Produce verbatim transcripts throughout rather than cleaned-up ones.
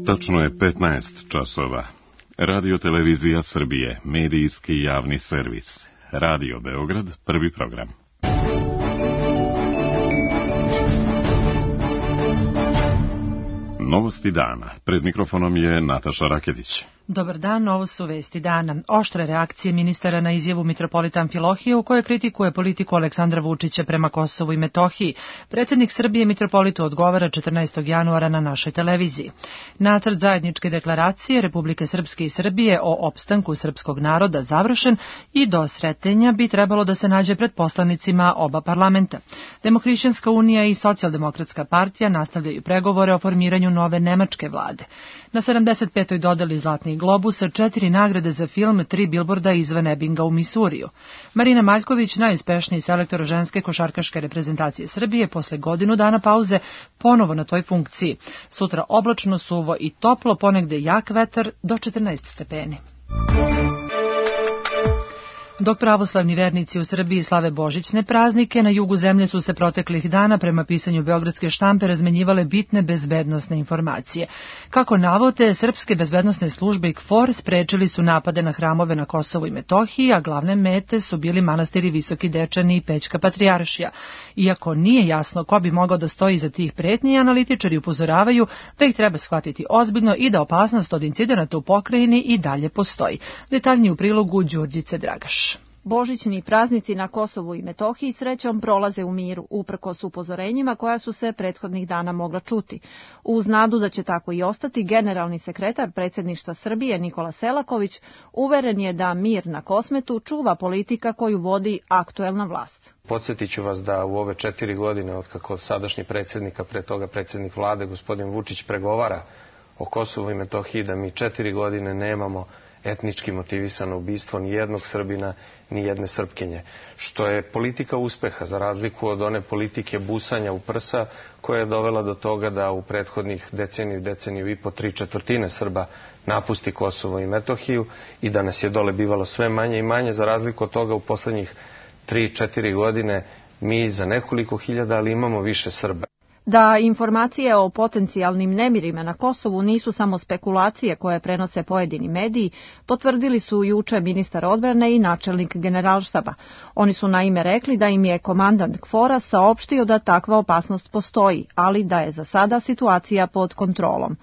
Tačno je petnaest časova. Radio Televizija Srbije, medijski javni servis. Radio Beograd, prvi program. Novosti dana. Pred mikrofonom je Nataša Raketić. Dobar dan, ovo su vesti dana. Oštre reakcije ministara na izjavu mitropolita Amfilohije u kojoj kritikuje politiku Aleksandra Vučića prema Kosovu i Metohiji. Predsjednik Srbije mitropolitu odgovara četrnaestog januara na našoj televiziji. Nacrt zajedničke deklaracije Republike Srpske i Srbije o opstanku srpskog naroda završen i do sretenja bi trebalo da se nađe pred poslanicima oba parlamenta. Demohrišćanska unija i Socijaldemokratska partija nastavljaju pregovore o formiranju nove nemačke vlade. Na sedamdeset petoj dodeli Zlatnih globusa, četiri nagrade za film, tri bilborda izvan Ebinga u Misuriju. Marina Maljković, najuspešniji selektor ženske košarkaške reprezentacije Srbije, posle godinu dana pauze, ponovo na toj funkciji. Sutra oblačno, suvo i toplo, ponegde jak vetar do četrnaest stepeni. Dok pravoslavni vernici u Srbiji slave božićne praznike, na jugu zemlje su se proteklih dana prema pisanju beogradske štampe razmenjivale bitne bezbednosne informacije. Kako navode, srpske bezbednosne službe i KFOR sprečili su napade na hramove na Kosovu i Metohiji, a glavne mete su bili manastiri Visoki Dečani i Pećka Patrijaršija. Iako nije jasno ko bi mogao da stoji iza tih pretnji, analitičari upozoravaju da ih treba shvatiti ozbiljno i da opasnost od incidenata u pokrajini i dalje postoji. Detaljnije u prilogu Đurđice Dragaš. Božićni praznici na Kosovu i Metohiji srećom prolaze u miru, uprkos upozorenjima koja su se prethodnih dana mogla čuti. Uz nadu da će tako i ostati, generalni sekretar predsjedništva Srbije Nikola Selaković uveren je da mir na Kosmetu čuva politika koju vodi aktuelna vlast. Podsjetit ću vas da u ove četiri godine, od kako sadašnji predsjednik, a pre toga predsjednik vlade, gospodin Vučić, pregovara o Kosovu i Metohiji, da mi četiri godine nemamo etnički motivisano ubistvo ni jednog Srbina, ni jedne Srpkinje, što je politika uspeha, za razliku od one politike busanja u prsa, koja je dovela do toga da u prethodnih deceniju, deceniju i po tri četvrtine Srba napusti Kosovo i Metohiju i da nas je dole bivalo sve manje i manje. Za razliku od toga u poslednjih tri četiri godine mi za nekoliko hiljada, ali imamo više Srba. Da informacije o potencijalnim nemirima na Kosovu nisu samo spekulacije koje prenose pojedini mediji, potvrdili su juče ministar odbrane i načelnik generalštaba. Oni su naime rekli da im je komandant KFOR-a saopštio da takva opasnost postoji, ali da je za sada situacija pod kontrolom.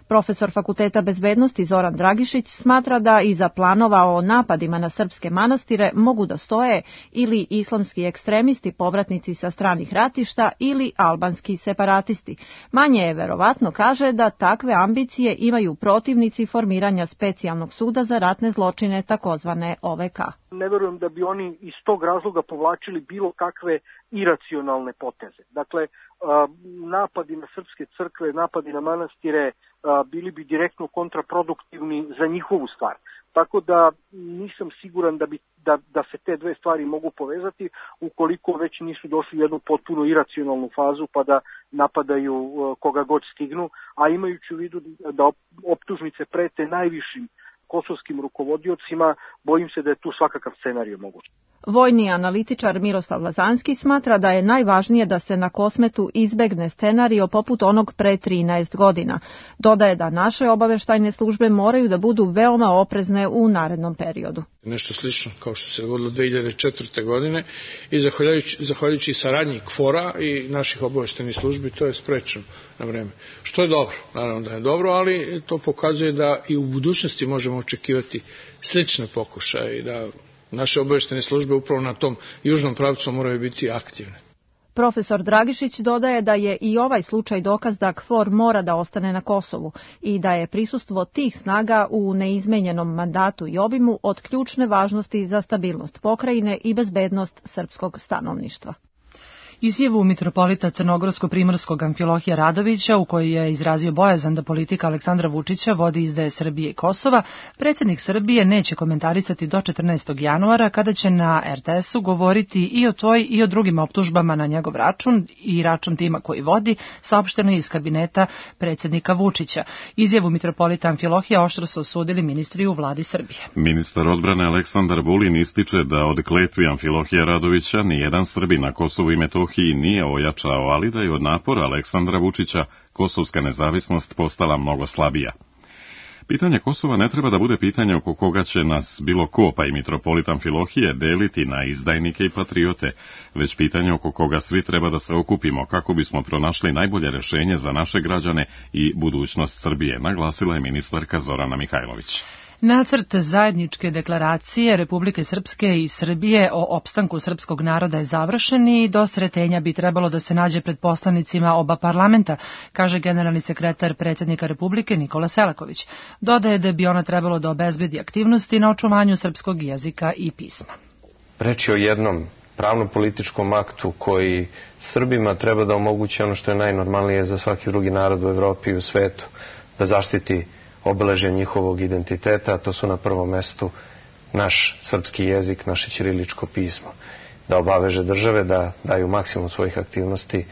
Profesor Fakulteta bezbednosti Zoran Dragišić smatra da iza planova o napadima na srpske manastire mogu da stoje ili islamski ekstremisti, povratnici sa stranih ratišta, ili albanski separatisti. Manje je verovatno, kaže, da takve ambicije imaju protivnici formiranja specijalnog suda za ratne zločine, takozvane O V K. Ne verujem da bi oni iz tog razloga povlačili bilo kakve iracionalne poteze. Dakle, napadi na srpske crkve, napadi na manastire bili bi direktno kontraproduktivni za njihovu stvar. Tako da nisam siguran da, bi, da, da se te dve stvari mogu povezati ukoliko već nisu došli u jednu potpuno iracionalnu fazu pa da napadaju koga god stignu, a imajući u vidu da optužnice prete najvišim kosovskim rukovodiocima, bojim se da je tu svakakav scenarij moguć. Vojni analitičar Miroslav Lazanski smatra da je najvažnije da se na Kosmetu izbegne scenario poput onog pre trinaest godina. Dodaje da naše obaveštajne službe moraju da budu veoma oprezne u narednom periodu. Nešto slično kao što se dogodilo dve hiljade četvrte. godine i zahvaljujući, zahvaljujući saradnji KFOR-a i naših obaveštajnih službi to je sprečeno na vreme. Što je dobro, naravno da je dobro, ali to pokazuje da i u budućnosti možemo očekivati slične pokušaje i da naše obaveštajne službe upravo na tom južnom pravcu moraju biti aktivne. Profesor Dragišić dodaje da je i ovaj slučaj dokaz da KFOR mora da ostane na Kosovu i da je prisustvo tih snaga u neizmenjenom mandatu i obimu od ključne važnosti za stabilnost pokrajine i bezbednost srpskog stanovništva. Izjavu mitropolita crnogorsko-primorskog Amfilohija Radovića, u kojoj je izrazio bojazan da politika Aleksandra Vučića vodi izdaje Srbije i Kosova, predsjednik Srbije neće komentarisati do četrnaestog januara, kada će na R T S-u govoriti i o toj i o drugim optužbama na njegov račun i račun tima koji vodi, saopšteno iz kabineta predsjednika Vučića. Izjavu mitropolita Amfilohija oštro su osudili ministri u vladi Srbije. Ministar odbrane Aleksandar Vulin ističe da od kletvi Amfilohija Radovića nijedan Srbin na Kosovu i Metohiji Metohiji nije ojačao, ali da je od napora Aleksandra Vučića kosovska nezavisnost postala mnogo slabija. Pitanje Kosova ne treba da bude pitanje oko koga će nas bilo ko, pa i mitropolit Amfilohije, deliti na izdajnike i patriote, već pitanje oko koga svi treba da se okupimo kako bismo pronašli najbolje rešenje za naše građane i budućnost Srbije, naglasila je ministarka Zorana Mihajlović. Nacrt zajedničke deklaracije Republike Srpske i Srbije o opstanku srpskog naroda je završen i do sretenja bi trebalo da se nađe pred poslanicima oba parlamenta, kaže generalni sekretar predsjednika Republike Nikola Selaković. Dodaje da bi ona trebalo da obezbedi aktivnosti na očuvanju srpskog jezika i pisma. Reč je o jednom pravno-političkom aktu koji Srbima treba da omogući ono što je najnormalnije za svaki drugi narod u Evropi i u svetu, da zaštiti obeležje njihovog identiteta, a to su na prvom mestu naš srpski jezik, naše ćiriličko pismo. Da obaveže države da daju maksimum svojih aktivnosti,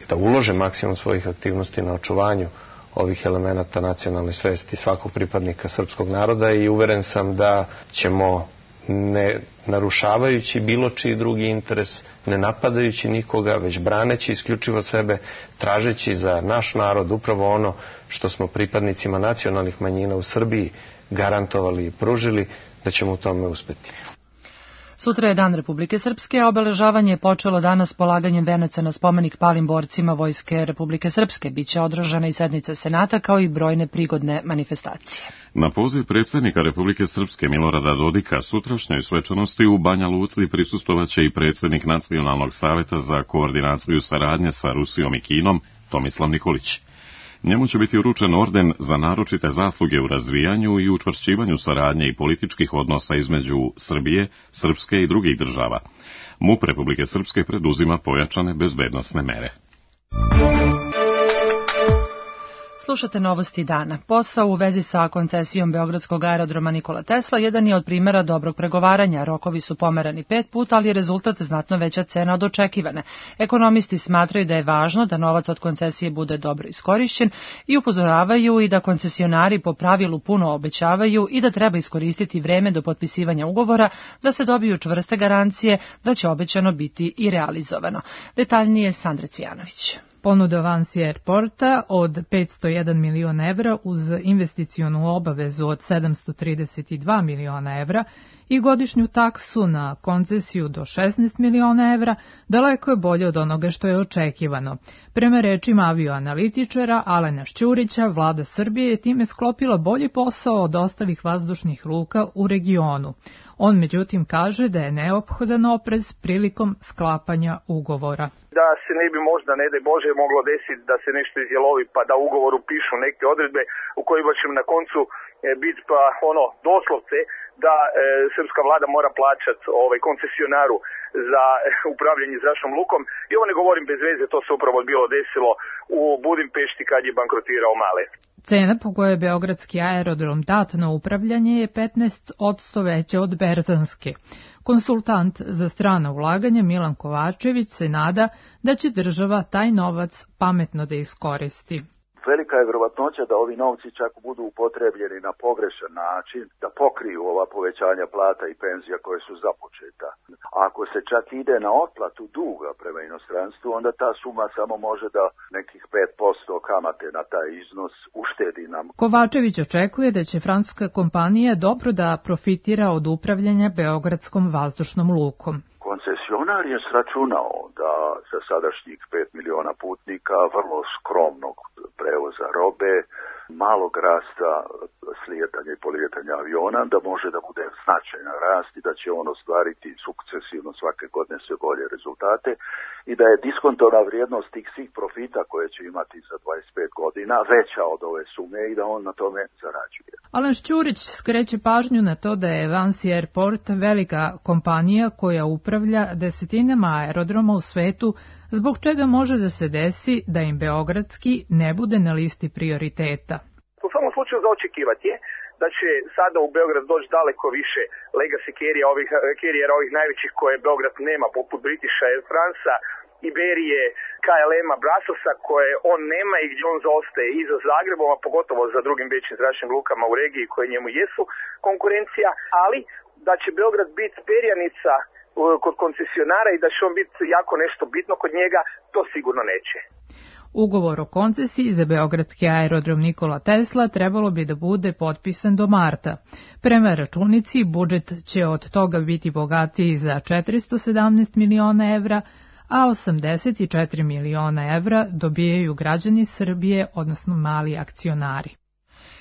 da ulože maksimum svojih aktivnosti na očuvanju ovih elemenata nacionalne svesti svakog pripadnika srpskog naroda i uveren sam da ćemo, ne narušavajući bilo čiji drugi interes, ne napadajući nikoga, već braneći isključivo sebe, tražeći za naš narod upravo ono što smo pripadnicima nacionalnih manjina u Srbiji garantovali i pružili, da ćemo u tome uspeti. Sutra je Dan Republike Srpske, a obeležavanje je počelo danas polaganjem venaca na spomenik palim borcima Vojske Republike Srpske. Biće održana i sednica Senata kao i brojne prigodne manifestacije. Na poziv predsjednika Republike Srpske Milorada Dodika sutrašnjoj svečanosti u Banja Luci prisustvovaće i predsjednik Nacionalnog saveta za koordinaciju saradnje sa Rusijom i Kinom Tomislav Nikolić. Njemu će biti uručen orden za naročite zasluge u razvijanju i učvršćivanju saradnje i političkih odnosa između Srbije, Srpske i drugih država. MUP Republike Srpske preduzima pojačane bezbednosne mere. Slušate novosti dana. Posao u vezi sa koncesijom Beogradskog aerodroma Nikola Tesla jedan je od primjera dobrog pregovaranja. Rokovi su pomerani pet puta, ali je rezultat znatno veća cena od očekivane. Ekonomisti smatraju da je važno da novac od koncesije bude dobro iskorišćen i upozoravaju i da koncesionari po pravilu puno obećavaju i da treba iskoristiti vreme do potpisivanja ugovora da se dobiju čvrste garancije da će obećano biti i realizovano. Detaljnije Sandra Cvijanović. Ponuda Vansi Airporta od petsto jedan miliona evra uz investicionu obavezu od sedamsto trideset dva miliona evra i godišnju taksu na koncesiju do šesnaest miliona evra daleko je bolje od onoga što je očekivano. Prema rečima avioanalitičara Alena Šćurića, vlada Srbije je time sklopila bolji posao od ostalih vazdušnih luka u regionu. On međutim kaže da je neophodan oprez prilikom sklapanja ugovora. Da se ne bi možda, ne daj Bože, moglo desiti da se nešto izjelovi pa da u ugovoru pišu neke odredbe u kojima će na koncu e, biti pa ono doslovce da e, srpska vlada mora plaćati ovaj koncesionaru za e, upravljanje zračnom lukom. I ovo ne govorim bez veze, to se upravo bilo desilo u Budimpešti kad je bankrotirao Male. Cena po kojoj je beogradski aerodrom dat na upravljanje je petnaest posto veća od berzanske. Konsultant za strana ulaganja Milan Kovačević se nada da će država taj novac pametno da iskoristi. Velika je vjerovatnoća da ovi novci čak budu upotrebljeni na pogrešan način, da pokriju ova povećanja plata i penzija koje su započeta. Ako se čak ide na otplatu duga prema inostranstvu, onda ta suma samo može da nekih pet posto kamate na taj iznos uštedi nam. Kovačević očekuje da će francuska kompanija dobro da profitira od upravljanja Beogradskom vazdušnom lukom. Koncesionar je sračunao da za sadašnjih pet miliona putnika, vrlo skromnog prevoza robe, malog rasta slijetanja i polijetanja aviona, da može da bude značajan rast i da će on ostvariti sukcesivno svake godine sve bolje rezultate i da je diskontovna vrijednost tih svih profita koje će imati za dvadeset pet godina veća od ove sume i da on na tome zarađuje. Alen Šćurić skreće pažnju na to da je Vansi Airport velika kompanija koja upravlja desetinama aerodroma u svetu, zbog čega može da se desi da im beogradski ne bude na listi prioriteta. U svakom slučaju za očekivati je da će sada u Beograd doći daleko više legacy carriera ovih, carriera ovih najvećih koje Beograd nema, poput Britisha Air Franca, Iberije, K L M-a, Brasselsa, koje on nema i gdje on zaostaje i za Zagrebom, a pogotovo za drugim većim zračnim lukama u regiji koje njemu jesu konkurencija, ali da će Beograd biti perjanica kod koncesionara i da će on biti jako nešto bitno kod njega, to sigurno neće. Ugovor o koncesiji za beogradski aerodrom Nikola Tesla trebalo bi da bude potpisan do marta. Prema računici, budžet će od toga biti bogatiji za četiristo sedamnaest miliona evra, a osamdeset četiri miliona evra dobijaju građani Srbije, odnosno mali akcionari.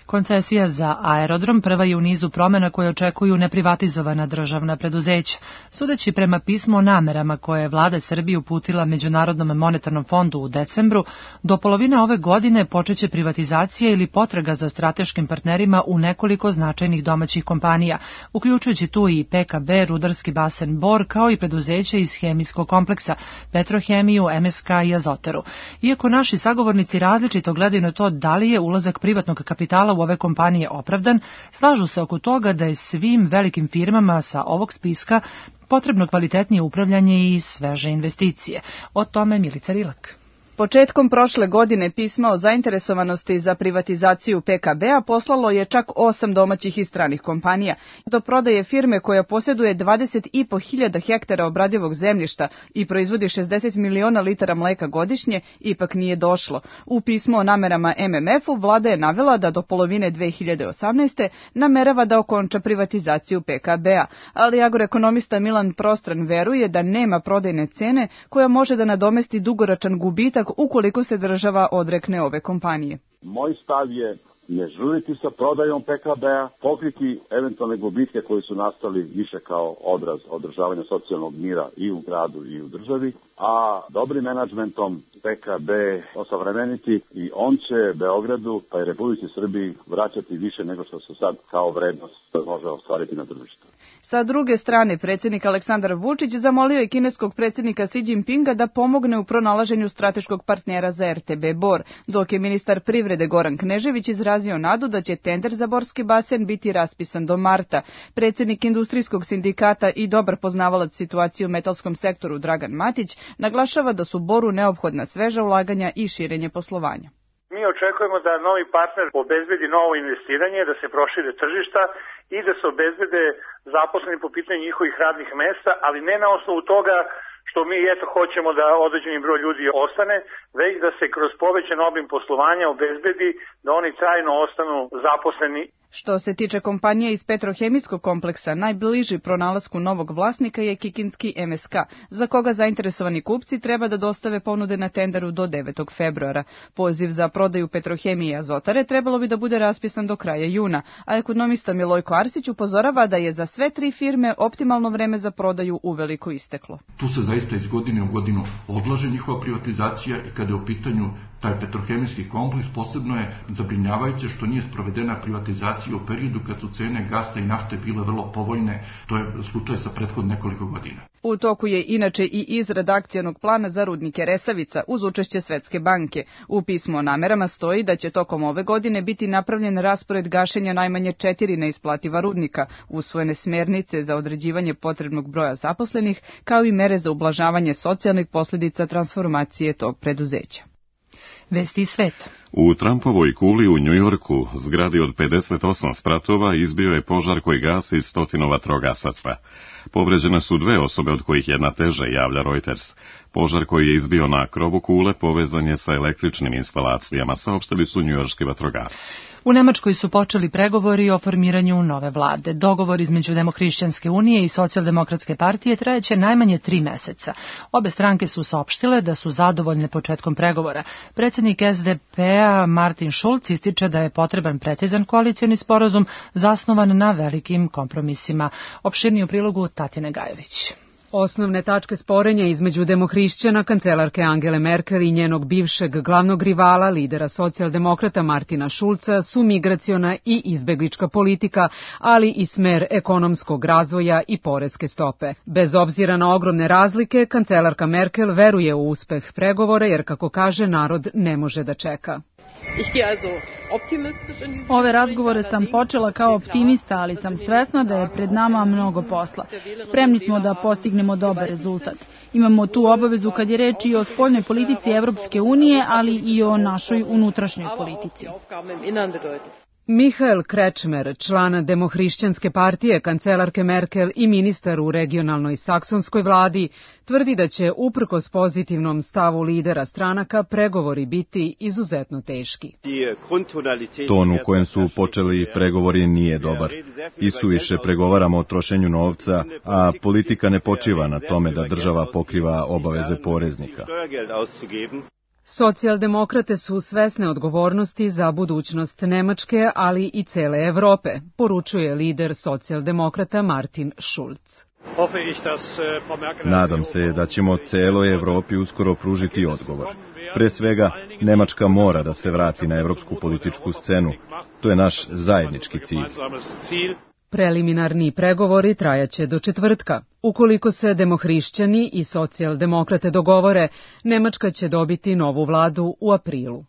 Koncesija za aerodrom prva je u nizu promena koje očekuju neprivatizovana državna preduzeća. Sudeći prema pismu o namerama koje je vlada Srbije uputila Međunarodnom monetarnom fondu u decembru, do polovine ove godine počeće privatizacija ili potraga za strateškim partnerima u nekoliko značajnih domaćih kompanija, uključujući tu i P K B, rudarski basen Bor, kao i preduzeća iz hemijskog kompleksa, Petrohemiju, M S K i Azotaru. Iako naši sagovornici različito gledaju na to da li je ulazak privatnog kapitala u ove kompanije opravdan, slažu se oko toga da je svim velikim firmama sa ovog spiska potrebno kvalitetnije upravljanje i sveže investicije. O tome Milica Rilak. Početkom prošle godine pisma o zainteresovanosti za privatizaciju P K B-a poslalo je čak osam domaćih i stranih kompanija. Do prodaje firme koja posjeduje dvadeset i po hiljada hektara obradivog zemljišta i proizvodi šezdeset miliona litara mleka godišnje ipak nije došlo. U pismu o namerama M M F-u vlada je navela da do polovine dve hiljade osamnaeste. namerava da okonča privatizaciju P K B-a, ali agroekonomista Milan Prostran veruje da nema prodajne cene koja može da nadomesti dugoročan gubitak ukoliko se država odrekne ove kompanije. Moj stav je ne žuriti sa prodajom P K B-a, pokriti eventualne gubitke koji su nastali više kao odraz održavanja socijalnog mira i u gradu i u državi, a dobrim menadžmentom P K B osavremeniti i on će Beogradu pa i Republici Srbiji vraćati više nego što se sad kao vrednost može ostvariti na tržištu. Sa druge strane, predsjednik Aleksandar Vučić zamolio je kineskog predsjednika Xi Jinpinga da pomogne u pronalaženju strateškog partnera za R T B Bor, dok je ministar privrede Goran Knežević izrazio nadu da će tender za borski basen biti raspisan do marta. Predsjednik industrijskog sindikata i dobar poznavalac situacije u metalskom sektoru Dragan Matić naglašava da su Boru neophodna sveža ulaganja i širenje poslovanja. Mi očekujemo da novi partner obezbedi novo investiranje, da se prošire tržišta i da se obezbede zaposleni po pitanju njihovih radnih mesta, ali ne na osnovu toga što mi eto hoćemo da određeni broj ljudi ostane, već da se kroz povećan obim poslovanja obezbedi da oni trajno ostanu zaposleni. Što se tiče kompanije iz petrohemijskog kompleksa, najbliži pronalasku novog vlasnika je kikinski M S K, za koga zainteresovani kupci treba da dostave ponude na tenderu do devetog februara. Poziv za prodaju Petrohemije i Azotare trebalo bi da bude raspisan do kraja juna, a ekonomista Milojko Arsić upozorava da je za sve tri firme optimalno vreme za prodaju uveliko isteklo. Tu se zaista iz godine u godinu odlaže njihova privatizacija i kada je u pitanju taj petrohemijski kompleks, posebno je zabrinjavajuće što nije sprovedena privatizacija u periodu kad su cene gasa i nafte bile vrlo povoljne. To je slučaj sa prethodnih nekoliko godina. U toku je inače i izrada akcionog plana za rudnike Resavica uz učešće Svetske banke. U pismu o namerama stoji da će tokom ove godine biti napravljen raspored gašenja najmanje četiri neisplativa rudnika, usvojene smernice za određivanje potrebnog broja zaposlenih, kao i mere za ublažavanje socijalnih posljedica transformacije tog preduzeća. Vesti iz sveta. U Trumpovoj kuli u Njujorku, zgradi od pedeset osam spratova, izbio je požar koji gasi stotinu vatrogasaca. Povređene su dve osobe, od kojih jedna teže, javlja Reuters. Požar koji je izbio na krovu kule povezan je sa električnim instalacijama, saopštili su njujorški vatrogasci. U Nemačkoj su počeli pregovori o formiranju nove vlade. Dogovor između Demohrišćanske unije i Socijaldemokratske partije trajeće najmanje tri meseca. Obe stranke su saopštile da su zadovoljne početkom pregovora. Predsjednik S D P-a Martin Schulz ističe da je potreban precizan koalicioni sporazum zasnovan na velikim kompromisima. Opširniji u prilogu Tatjane Gajović. Osnovne tačke sporenja između demohrišćana, kancelarke Angele Merkel i njenog bivšeg glavnog rivala, lidera socijaldemokrata Martina Schulza, su migraciona i izbeglička politika, ali i smer ekonomskog razvoja i poreske stope. Bez obzira na ogromne razlike, kancelarka Merkel veruje u uspeh pregovora jer, kako kaže, narod ne može da čeka. Ove razgovore sam počela kao optimista, ali sam svesna da je pred nama mnogo posla. Spremni smo da postignemo dobar rezultat. Imamo tu obavezu kad je reč i o spoljnoj politici Evropske unije, ali i o našoj unutrašnjoj politici. Mihael Krečmer, član Demohrišćanske partije, kancelarke Merkel i ministar u regionalnoj saksonskoj vladi, tvrdi da će, uprkos pozitivnom stavu lidera stranaka, pregovori biti izuzetno teški. Ton u kojem su počeli pregovori nije dobar. Isuviše pregovaramo o trošenju novca, a politika ne počiva na tome da država pokriva obaveze poreznika. Socijaldemokrate su svesne odgovornosti za budućnost Nemačke, ali i cele Evrope, poručuje lider socijaldemokrata Martin Schulz. Nadam se da ćemo celoj Evropi uskoro pružiti odgovor. Pre svega, Nemačka mora da se vrati na evropsku političku scenu. To je naš zajednički cilj. Preliminarni pregovori trajaće do četvrtka. Ukoliko se demohrišćani i socijaldemokrate dogovore, Nemačka će dobiti novu vladu u aprilu.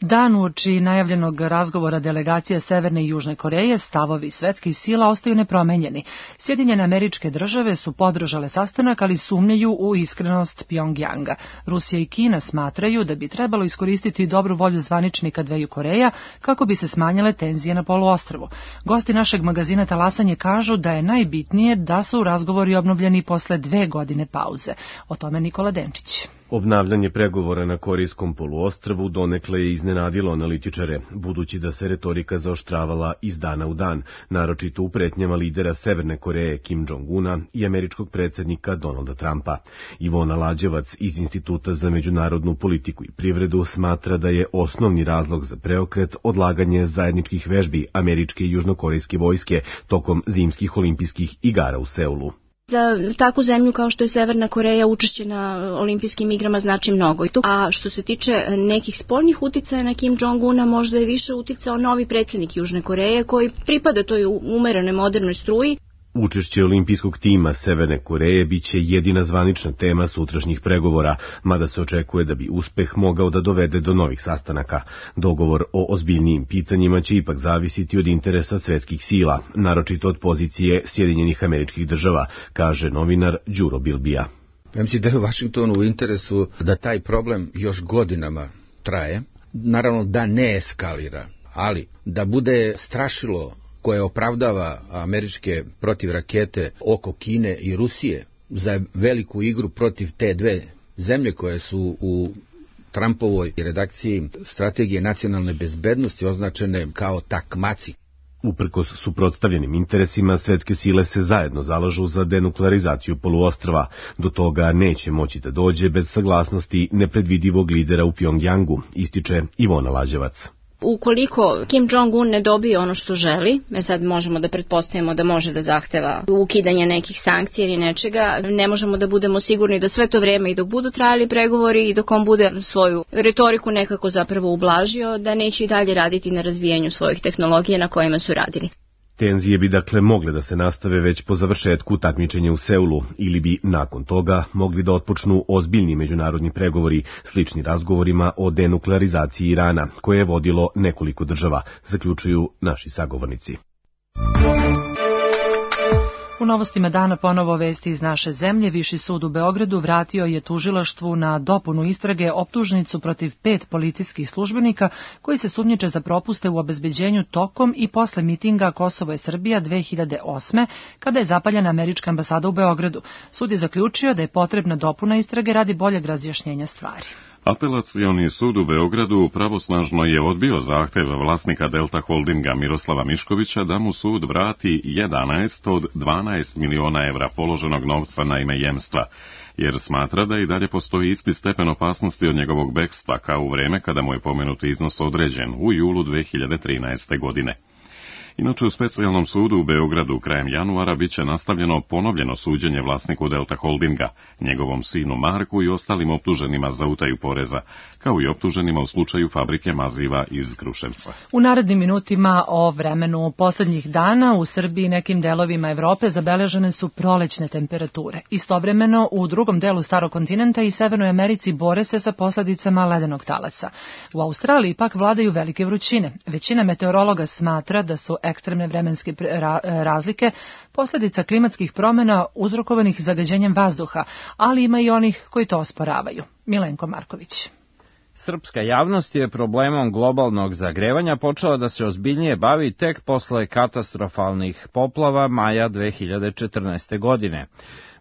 Dan uoči najavljenog razgovora delegacije Severne i Južne Koreje, stavovi svetskih sila ostaju nepromenjeni. Sjedinjene Američke Države su podržale sastanak, ali sumnjaju u iskrenost Pjongjanga. Rusija i Kina smatraju da bi trebalo iskoristiti dobru volju zvaničnika dveju Koreja kako bi se smanjile tenzije na poluostrvu. Gosti našeg magazina Talasanje kažu da je najbitnije da su razgovori obnovljeni posle dve godine pauze. O tome Nikola Denčić. Obnavljanje pregovora na Korijskom poluostrvu donekle je iznenadilo analitičare, budući da se retorika zaoštravala iz dana u dan, naročito u pretnjama lidera Severne Koreje Kim Jong-una i američkog predsjednika Donalda Trumpa. Ivona Lađevac iz Instituta za međunarodnu politiku i privredu smatra da je osnovni razlog za preokret odlaganje zajedničkih vežbi američke i južnokorejske vojske tokom zimskih olimpijskih igara u Seulu. Za takvu zemlju kao što je Severna Koreja učešće na olimpijskim igrama znači mnogo. A što se tiče nekih spoljnih uticaja na Kim Jong-una, možda je više uticao novi predsjednik Južne Koreje koji pripada toj umerenoj modernoj struji. Učešće olimpijskog tima Severne Koreje biće jedina zvanična tema sutrašnjih pregovora, mada se očekuje da bi uspeh mogao da dovede do novih sastanaka. Dogovor o ozbiljnijim pitanjima će ipak zavisiti od interesa svetskih sila, naročito od pozicije Sjedinjenih Američkih Država, kaže novinar Đuro Bilbija. Ja mislim da je u Vašingtonu u interesu da taj problem još godinama traje, naravno da ne eskalira, ali da bude strašilo koje opravdava američke protivrakete oko Kine i Rusije za veliku igru protiv te dve zemlje koje su u Trumpovoj redakciji strategije nacionalne bezbednosti označene kao takmaci. Uprkos suprotstavljenim interesima, svetske sile se zajedno zalažu za denuklearizaciju poluostrva. Do toga neće moći da dođe bez saglasnosti nepredvidivog lidera u Pjongjangu, ističe Ivona Lađevac. Ukoliko Kim Jong-un ne dobije ono što želi, me sad možemo da pretpostavimo da može da zahteva ukidanje nekih sankcija ili nečega, ne možemo da budemo sigurni da sve to vreme i dok budu trajali pregovori i dok on bude svoju retoriku nekako zapravo ublažio, da neće i dalje raditi na razvijanju svojih tehnologija na kojima su radili. Tenzije bi dakle mogle da se nastave već po završetku takmičenja u Seulu ili bi nakon toga mogli da otpočnu ozbiljni međunarodni pregovori slični razgovorima o denuklearizaciji Irana, koje je vodilo nekoliko država, zaključuju naši sagovornici. U novostima dana ponovo vesti iz naše zemlje. Viši sud u Beogradu vratio je tužilaštvu na dopunu istrage optužnicu protiv pet policijskih službenika koji se sumnjiče za propuste u obezbeđenju tokom i posle mitinga Kosovo je Srbija dve hiljade osme. kada je zapaljena američka ambasada u Beogradu. Sud je zaključio da je potrebna dopuna istrage radi boljeg razjašnjenja stvari. Apelacioni sud u Beogradu pravosnažno je odbio zahtev vlasnika Delta Holdinga Miroslava Miškovića da mu sud vrati jedanaest od dvanaest miliona evra položenog novca na ime jemstva, jer smatra da i dalje postoji isti stepen opasnosti od njegovog bekstva kao u vreme kada mu je pomenuti iznos određen u julu dve hiljade trinaeste. godine. Inače, u specijalnom sudu u Beogradu krajem januara biće nastavljeno ponovljeno suđenje vlasniku Delta Holdinga, njegovom sinu Marku i ostalim optuženima za utaju poreza, kao i optuženima u slučaju fabrike maziva iz Kruševca. U narednim minutima o vremenu poslednjih dana u Srbiji i nekim delovima Evrope zabeležene su prolećne temperature. Istovremeno, u drugom delu starog kontinenta i Severnoj Americi bore se sa posledicama ledenog talasa. U Australiji pak vladaju velike vrućine. Većina meteorologa smatra da su ekstremne vremenske razlike posljedica klimatskih promjena uzrokovanih zagađenjem vazduha, ali ima i onih koji to osporavaju. Milenko Marković. Srpska javnost je problemom globalnog zagrevanja počela da se ozbiljnije bavi tek posle katastrofalnih poplava maja dve hiljade četrnaeste. godine.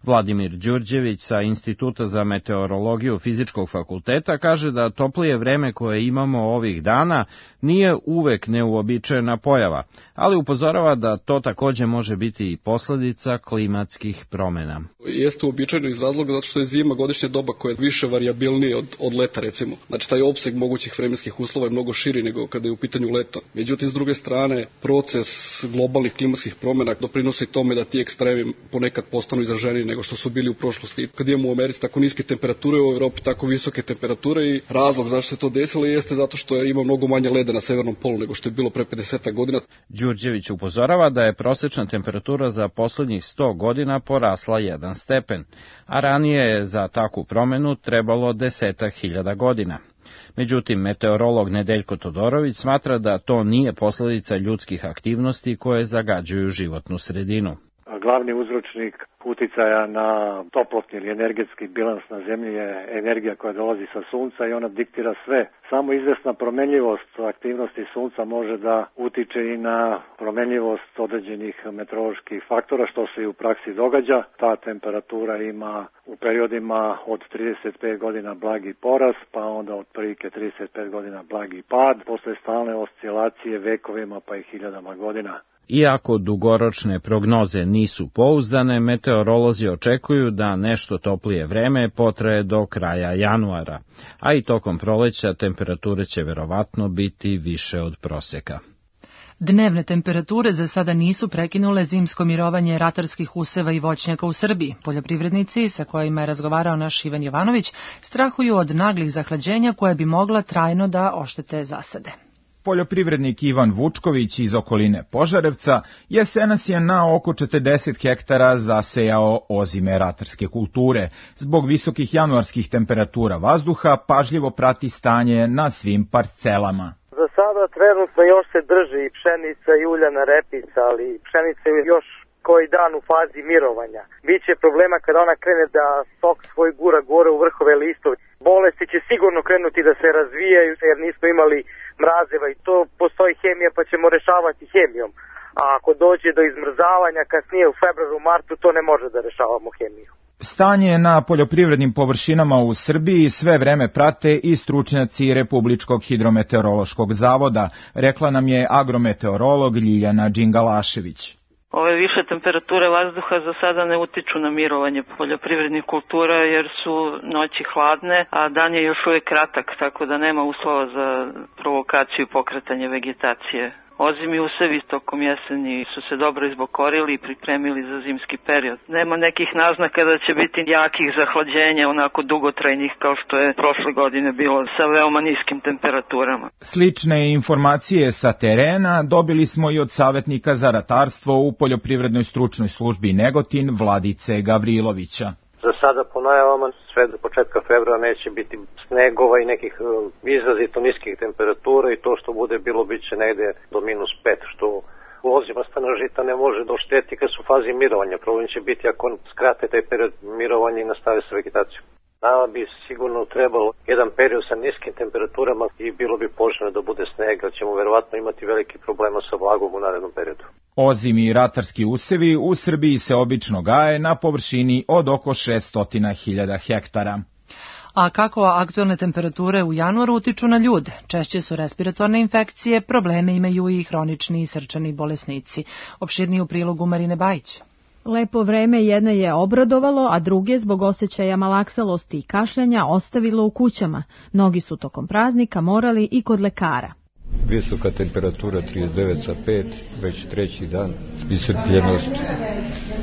Vladimir Đurđević sa Instituta za meteorologiju Fizičkog fakulteta kaže da toplije vreme koje imamo ovih dana nije uvek neuobičajena pojava, ali upozorava da to takođe može biti i posledica klimatskih promena. Jeste uobičajeno iz razloga zato što je zima godišnje doba koja je više varijabilnije od, od leta, recimo. Znači taj opseg mogućih vremenskih uslova je mnogo širi nego kada je u pitanju leto. Međutim, s druge strane, proces globalnih klimatskih promena doprinosi tome da ti ekstremi ponekad postanu izraženiji nego što su bili u prošlosti. Kad imamo u Americi tako niske temperature, u Evropi tako visoke temperature i razlog zašto se to desilo jeste zato što ima mnogo manje leda na severnom polu nego što je bilo pre pedeset godina. Đurđević upozorava da je prosečna temperatura za poslednjih sto godina porasla jedan stepen, a ranije je za takvu promenu trebalo desetak hiljada godina. Međutim, meteorolog Nedeljko Todorović smatra da to nije posledica ljudskih aktivnosti koje zagađuju životnu sredinu. Glavni uzročnik uticaja na toplotni ili energetski bilans na zemlji je energija koja dolazi sa sunca i ona diktira sve. Samo izvesna promenljivost aktivnosti sunca može da utiče i na promenljivost određenih meteoroloških faktora, što se i u praksi događa. Ta temperatura ima u periodima od trideset pet godina blagi porast, pa onda od prilike trideset pet godina blagi pad, posle stalne oscilacije vekovima pa i hiljadama godina. Iako dugoročne prognoze nisu pouzdane, meteorolozi očekuju da nešto toplije vreme potraje do kraja januara, a i tokom proleća temperature će verovatno biti više od proseka. Dnevne temperature za sada nisu prekinule zimsko mirovanje ratarskih useva i voćnjaka u Srbiji. Poljoprivrednici, sa kojima je razgovarao naš Ivan Jovanović, strahuju od naglih zahlađenja koje bi mogla trajno da oštete zasade. Poljoprivrednik Ivan Vučković iz okoline Požarevca jesenas je na oko četrdeset hektara zasejao ozime ratarske kulture. Zbog visokih januarskih temperatura vazduha pažljivo prati stanje na svim parcelama. Za sada trenutno još se drži i pšenica i uljana repica, ali pšenica je još koji dan u fazi mirovanja. Biće problema kada ona krene da sok svoj gura gore u vrhove listova. Bolesti će sigurno krenuti da se razvijaju jer nismo imali mrazeva i to postoji hemija pa ćemo rešavati hemijom. A ako dođe do izmrzavanja kasnije u februaru, martu, to ne može da rešavamo hemiju. Stanje na poljoprivrednim površinama u Srbiji sve vreme prate i stručnjaci Republičkog hidrometeorološkog zavoda, rekla nam je agrometeorolog Ljiljana Đingalašević. Ove više temperature vazduha za sada ne utiču na mirovanje poljoprivrednih kultura jer su noći hladne, a dan je još uvijek kratak, tako da nema uslova za provokaciju i pokretanje vegetacije. Ozimi usevi tokom jeseni su se dobro izbokorili i pripremili za zimski period. Nema nekih naznaka da će biti jakih zahlađenja, onako dugotrajnih kao što je prošle godine bilo sa veoma niskim temperaturama. Slične informacije sa terena dobili smo i od savjetnika za ratarstvo u Poljoprivrednoj stručnoj službi Negotin Vladice Gavrilovića. Za sada po najavama sve do početka februara neće biti snegova i nekih izrazito niskih temperatura i to što bude bilo bit će negde do minus pet, što ozima stana žita ne može da ošteti kad su u fazi mirovanja. Problem će biti ako skrate taj period mirovanja i nastave sa vegetacijom. Nama bi sigurno trebalo jedan period sa niskim temperaturama i bilo bi poželjno da bude sneg, jer ćemo verovatno imati veliki problema sa vlagom u narednom periodu. Ozimi i ratarski usevi u Srbiji se obično gaje na površini od oko šessto hiljada hektara. A kako aktualne temperature u januaru utiču na ljude? Češće su respiratorne infekcije, probleme imaju i hronični i srčani bolesnici. Opširniji u prilogu Marine Bajić. Lepo vreme jedne je obradovalo, a druge zbog osjećaja malaksalosti i kašljanja ostavilo u kućama. Mnogi su tokom praznika morali i kod lekara. Visoka temperatura trideset devet zarez pet, već treći dan, iscrpljenost.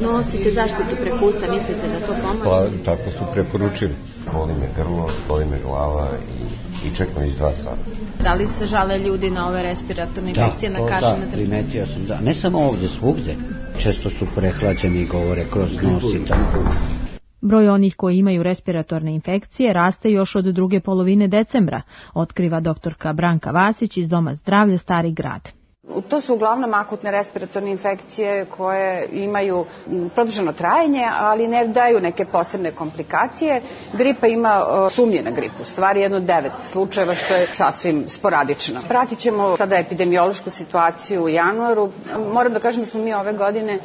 Nosite zaštitu prekusta, mislite da to pomaže? Pa, tako su preporučili. Boli me grlo, boli me glava i, i čekam iz dva sata. Da li se žale ljudi na ove respiratorne infekcije, na kašljanje? Da, primetio sam da. Ne samo ovde, svugde. Često su prehlađeni i govore kroz nos i tako. Broj onih koji imaju respiratorne infekcije raste još od druge polovine decembra, otkriva doktorka Branka Vasić iz Doma zdravlja Stari grad. To su uglavnom akutne respiratorne infekcije koje imaju produženo trajanje, ali ne daju neke posebne komplikacije. Gripa ima sumnje na gripu, stvari jedno devet slučajeva, što je sasvim sporadično. Pratit ćemo sada epidemiološku situaciju u januaru. Moram da kažem da smo mi ove godine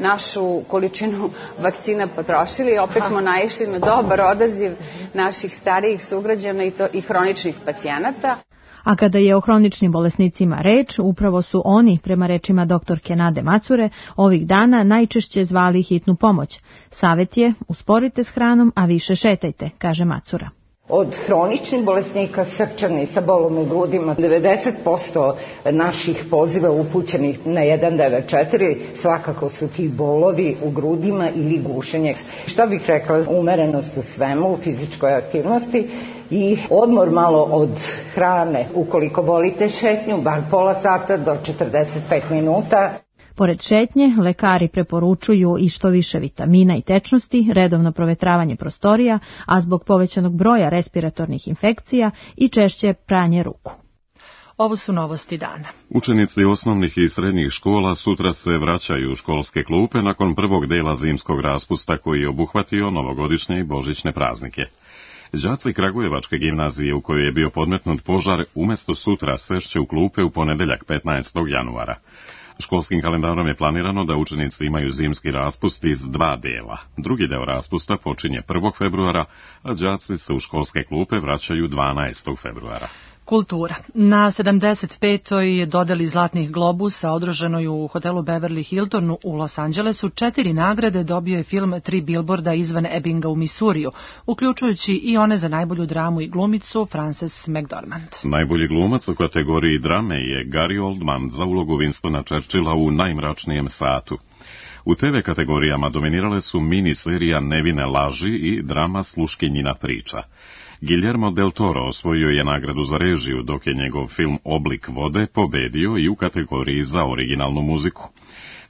našu količinu vakcina potrošili, opet smo naišli na dobar odaziv naših starijih sugrađana i, to, i hroničnih pacijenata. A kada je o hroničnim bolesnicima reč, upravo su oni, prema rečima doktorke Nade Macure, ovih dana najčešće zvali hitnu pomoć. Savet je, usporite s hranom, a više šetajte, kaže Macura. Od hroničnih bolesnika srčani sa bolom u grudima, devedeset posto naših poziva upućenih na jedan devet četiri svakako su ti bolovi u grudima ili gušenje. Šta bih rekla, umerenost u svemu, u fizičkoj aktivnosti i odmor malo od hrane. Ukoliko volite šetnju, bar pola sata do četrdeset pet minuta. Pored šetnje, lekari preporučuju i što više vitamina i tečnosti, redovno provetravanje prostorija, a zbog povećanog broja respiratornih infekcija i češće pranje ruku. Ovo su novosti dana. Učenici osnovnih i srednjih škola sutra se vraćaju u školske klupe nakon prvog dela zimskog raspusta koji je obuhvatio novogodišnje i božićne praznike. Đaci Kragujevačke gimnazije u kojoj je bio podmetnut požar umjesto sutra sešće u klupe u ponedeljak petnaestog januara. Školskim kalendarom je planirano da učenici imaju zimski raspust iz dva dela. Drugi deo raspusta počinje prvog februara, a đaci se u školske klupe vraćaju dvanaestog februara. Kultura. Na sedamdeset petoj dodeli Zlatnih globusa održanoj u hotelu Beverly Hilton u Los Angelesu četiri nagrade dobio je film Tri bilborda izvan Ebbinga u Misuriju, uključujući i one za najbolju dramu i glumicu Frances McDormand. Najbolji glumac u kategoriji drame je Gary Oldman za ulogu Winstona Churchilla u Najmračnijem satu. U te ve kategorijama dominirale su mini serija Nevine laži i drama Sluškinjina priča. Guillermo del Toro osvojio je nagradu za režiju, dok je njegov film Oblik vode pobedio i u kategoriji za originalnu muziku.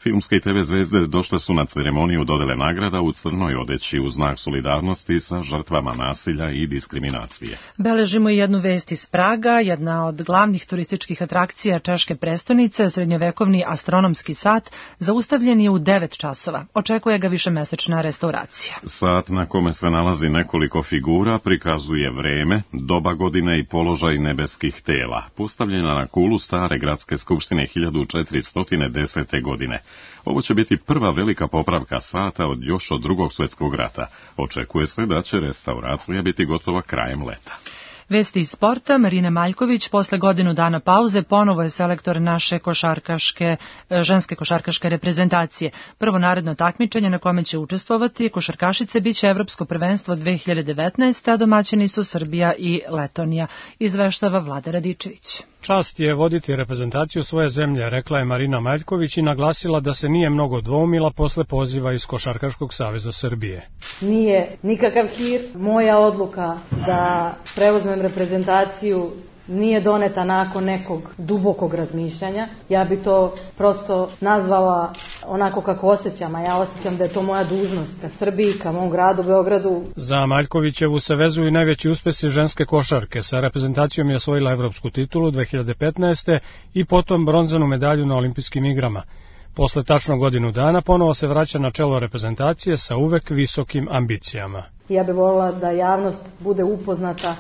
Filmske i te ve zvezde došle su na ceremoniju dodele nagrada u crnoj odeći u znak solidarnosti sa žrtvama nasilja i diskriminacije. Beležimo i jednu vest iz Praga, jedna od glavnih turističkih atrakcija češke prestonice, srednjovekovni astronomski sat, zaustavljen je u devet časova. Očekuje ga višemesečna restauracija. Sat na kome se nalazi nekoliko figura prikazuje vreme, doba godine i položaj nebeskih tela, postavljena na kulu stare gradske skupštine hiljadu četiristo desete. godine. Ovo će biti prva velika popravka sata od još od drugog svjetskog rata. Očekuje se da će restauracija biti gotova krajem leta. Vesti iz sporta. Marina Maljković posle godinu dana pauze ponovo je selektor naše košarkaške, ženske košarkaške reprezentacije. Prvo naredno takmičenje na kome će učestvovati košarkašice biće Evropsko prvenstvo dve hiljade devetnaeste. a domaćini su Srbija i Letonija, izveštava Vlada Radičević. Čast je voditi reprezentaciju svoje zemlje, rekla je Marina Maljković i naglasila da se nije mnogo dvoumila posle poziva iz Košarkaškog saveza Srbije. Nije nikakav hir. Moja odluka da preuzmem reprezentaciju nije doneta nakon nekog dubokog razmišljanja. Ja bi to prosto nazvala onako kako osjećam, a ja osjećam da je to moja dužnost ka Srbiji, ka mom gradu, Beogradu. Za Maljkovićevu se vezuju i najveći uspesi ženske košarke. Sa reprezentacijom je osvojila evropsku titulu dve hiljade petnaeste. i potom bronzanu medalju na olimpijskim igrama. Posle tačno godinu dana ponovo se vraća na čelo reprezentacije sa uvek visokim ambicijama. Ja bih voljela da javnost bude upoznata,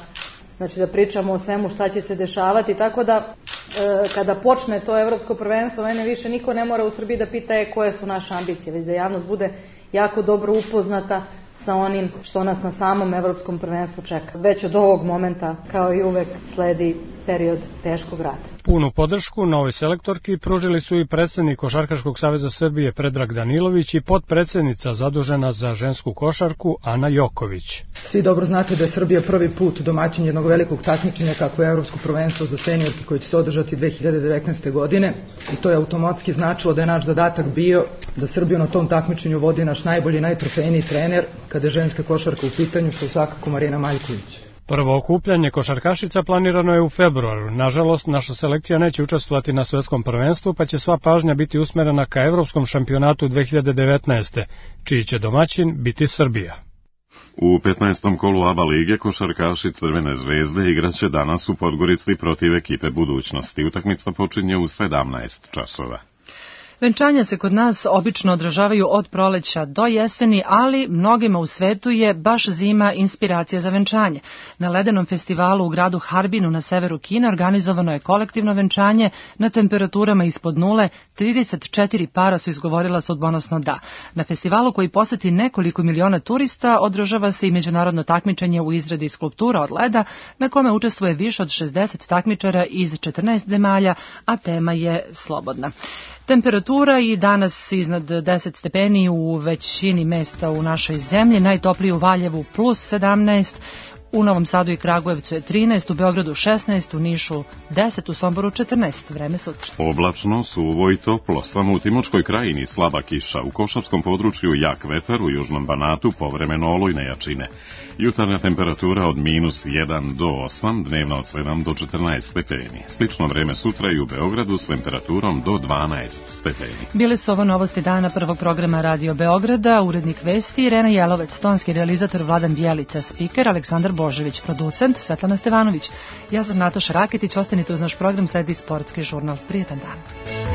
znači da pričamo o svemu šta će se dešavati, tako da e, kada počne to evropsko prvenstvo, mene više niko ne mora u Srbiji da pita je koje su naše ambicije, već da javnost bude jako dobro upoznata sa onim što nas na samom evropskom prvenstvu čeka. Već od ovog momenta, kao i uvek, sledi period teškog rata. Punu podršku novoj selektorki pružili su i predsjednik Košarkaškog saveza Srbije Predrag Danilović i potpredsjednica zadužena za žensku košarku Ana Joković. Svi dobro znate da je Srbija prvi put domaćin jednog velikog takmičenja kako je Evropsko prvenstvo za seniorke koje će se održati dve hiljade devetnaeste. godine i to je automatski značilo da je naš zadatak bio da Srbiju na tom takmičenju vodi naš najbolji i najtrofejniji trener kada je ženska košarka u pitanju, što je svakako Marina Maljković. Prvo okupljanje košarkašica planirano je u februaru. Nažalost, naša selekcija neće učestvovati na svetskom prvenstvu, pa će sva pažnja biti usmerena ka Evropskom šampionatu dve hiljade devetnaeste. čiji će domaćin biti Srbija. U petnaestom kolu A B A lige košarkaši Crvene zvezde igraće danas u Podgorici protiv ekipe Budućnosti. Utakmica počinje u sedamnaest časova. Venčanja se kod nas obično održavaju od proleća do jeseni, ali mnogima u svetu je baš zima inspiracija za venčanje. Na ledenom festivalu u gradu Harbinu na severu Kine organizovano je kolektivno venčanje na temperaturama ispod nule, trideset četiri para su izgovorila sudbonosno da. Na festivalu koji poseti nekoliko miliona turista održava se i međunarodno takmičenje u izradi skulptura od leda, na kome učestvuje više od šezdeset takmičara iz četrnaest zemalja, a tema je slobodna. Temperatura i danas iznad deset stepeni u većini mesta u našoj zemlji, najtopliji u Valjevu plus sedamnaest, u Novom Sadu i Kragujevcu je trinaest, u Beogradu šesnaest, u Nišu deset, u Somboru četrnaest. Vreme sutra. Oblačno, suvo i toplo, samo u Timočkoj krajini slaba kiša, u Košavskom području jak vetar, u Južnom Banatu povremeno olujne jačine. Jutarnja temperatura od minus jedan do osam, dnevna od sedam do četrnaest stepeni. Slično vreme sutra i u Beogradu s temperaturom do dvanaest stepeni. Bile su ovo novosti dana prvog programa Radio Beograda, urednik vesti Irena Jelovec, tonski realizator Vladan Bjelica, spiker Aleksandar Božević, producent Svetlana Stevanović. Ja sam Nataša Raketić, ostanite uz naš program, sledi sportski žurnal. Prijetan dan.